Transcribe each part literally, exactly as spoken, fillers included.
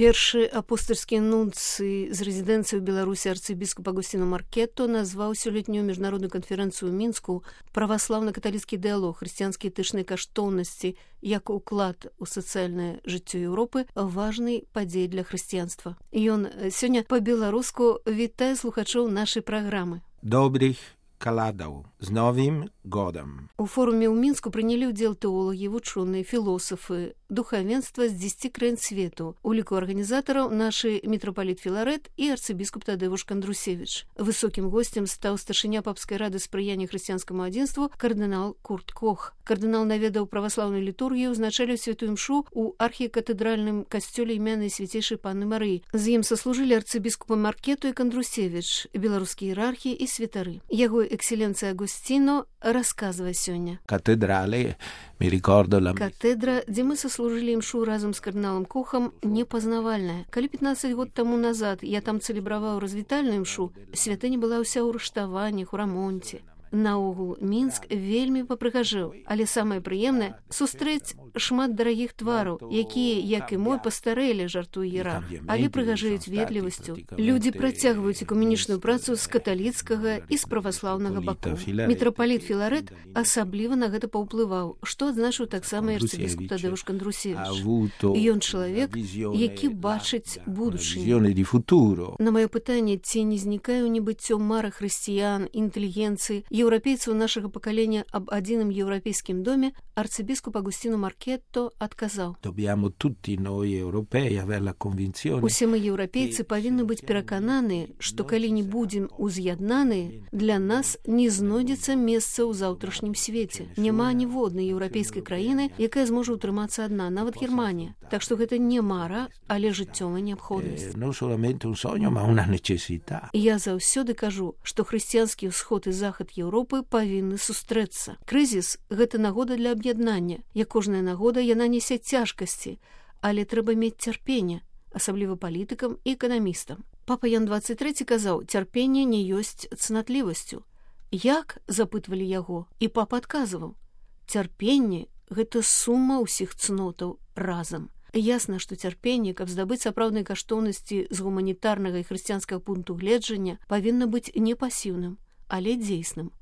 Першы апостальскі нунцый з рэзідэнцыі ў Беларусі арцыбіскуп Агусціно Маркетто назваў сёлетнюю міжнародную канферэнцыю ў Мінску праваслаўна-каталіцкі дыялог, хрысціянскія этычныя каштоўнасці як уклад у сацыяльнае жыццё Еўропы важнай падзеі для хрысціянства. Ён сёння па-беларуску вітае слухачоў нашай праграмы. Добрых каладаў з новым годам. У форуме ў Мінску прынялі ўдзел тэолагі, вучоныя, філосафы, духавенства з дзесяці краін свету. У ліку арганізатараў нашы мітрапаліт Філарэт і арцыбіскуп Тадзеуш Кандрусевіч. Высокім госцем стаў старшыня папскай рады спрыяння хрысціянскаму адзінству кардынал Курт Кох. Кардынал наведаў праваслаўную літургію, узначаліў святую імшу ў архікатэдральным касцёле імянай свяцейшай Панны Марыі. З ім саслужылі арцыбіскупы Маркетто і Кандрусевіч, беларускія іерархі і святары. Яго экселенцыя Агустіно расказвае сёння. Катедралі, ми рекордо ла... Катедра, дзе мы саслужылі імшу разам з кардыналам Кохам, непазнавальная. Калі пятнаццаць год таму назад я там цэлебраваў развітальную імшу, святыня была ўся ў рыштаваннях, у рамонце. Наогул, Мінск вельмі папрыгажэў, але самае прыемнае — сустрэць шмат дарагіх твараў, якія, як і мой, пастарэлі, жартуе іерарх, але прыгажэюць ветлівасцю. Людзі працягваюць экуменічную працу з каталіцкага і з праваслаўнага бакоў. Мітрапаліт Філарэт асабліва на гэта паўплываў, што адзначыў таксама арцыбіскуп Тадзеуш Кандрусевіч. Ён чалавек, які бачыць будучыню. На маё пытанне, ці не знікае ў небыццё мара хрысціян, інтэлігенцыі, еўрапейцаў нашага пакалення аб адзіным еўрапейскім доме, арцыбіскуп Агусціно Маркетто адказаў: усе мы, еўрапейцы, павінны быць перакананыя, што калі не будзем уз'яднаныя, для нас не знойдзецца месца ў заўтрашнім свеце. Няма ніводнай еўрапейскай краіны, якая зможа ўтрымацца адна, нават Германія. Так што гэта не мара, але жыццёвая неабходнасць. Я заўсёды кажу, што хрысціянскі ўсход і захад Еўропы павінны сустрэцца. Крызіс — гэта нагода для аб'яднання. Як кожная нагода, яна нясе цяжкасці, але трэба мець цярпенне, асабліва палітыкам і эканамістам. Папа Ян дваццаць трэці казаў: цярпенне не ёсць цнатлівасцю. Як? Запытвалі яго, і папа адказваў: цярпенне — гэта сума ўсіх цнотаў разам. Ясна, што цярпенне, каб здабыць сапраўдныя каштоўнасці з гуманітарнага і хрысціянскага пункту гледжання, павінна быць не пасіўным, але дзейсным,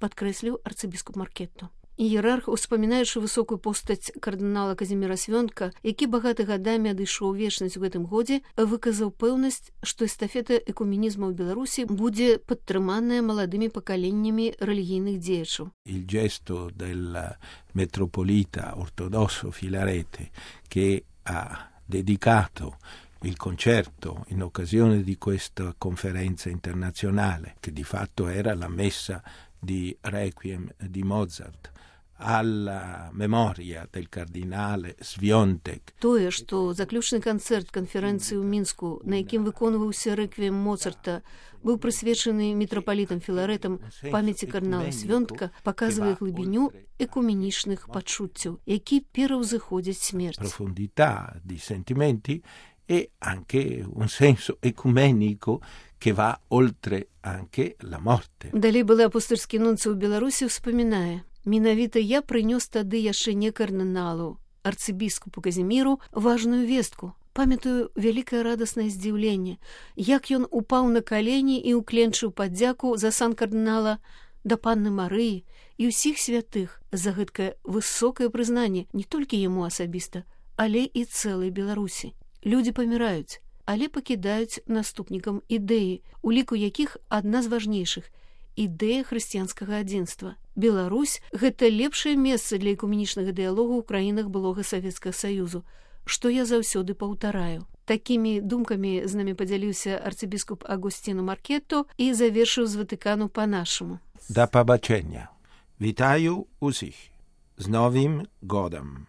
падкрэсліў арцыбіскуп Маркетто. Іерарх, успамінаючы высокую постаць кардынала Казіміра Свёнтка, які багаты гадамі адышоў вечнасць у гэтым годзе, выказаў пэўнасць, што эстафета экуменізму ў Беларусі будзе падтрыманая маладымі пакаленнямі рэлігійных дзеячаў. Il gesto del metropolita ortodosso Filarete che ha dedicato il concerto in occasione di questa conferenza internazionale, che di fatto era la messa di Requiem di Mozart, alla memoria del кардинала Свёнтек. Тое, што заключны канцэрт канферэнцыі ў Мінску, на якім выконваўся рэквіем Моцарта, быў прысвечаны мітрапалітам Філарэтам памяці кардынала Свёнтка, паказвае глыбіню экуменічных пачуццяў, які пераўзыходзяць смерць. Profondità di sentimenti e anche un senso ecumenico che va oltre anche la morte. Далей былы апостальскі нунцый у Беларусі ўспамінае: менавіта я прынёс тады яшчэ не кардыналу, арцыбіскупу Казіміру, важную вестку. Памятаю вялікае радаснае здзіўленне, як ён упаў на калені і ўкленчыў падзяку за сан кардынала да Панны Марыі і ўсіх святых за гэткае высокае прызнанне не толькі яму асабіста, але і цэлай Беларусі. Людзі паміраюць, але пакідаюць наступнікам ідэі, у ліку якіх адна з важнейшых — ідэя хрысціянскага адзінства. Беларусь — гэта лепшае месца для экуменічнага дыялогу ў краінах былога Савецкага Саюзу, што я заўсёды паўтараю. Такімі думкамі з намі падзяліўся арцыбіскуп Агусціно Маркетто і завершыў з Ватыкану па-нашаму. Да пабачэння. Вітаю усіх з новым годам.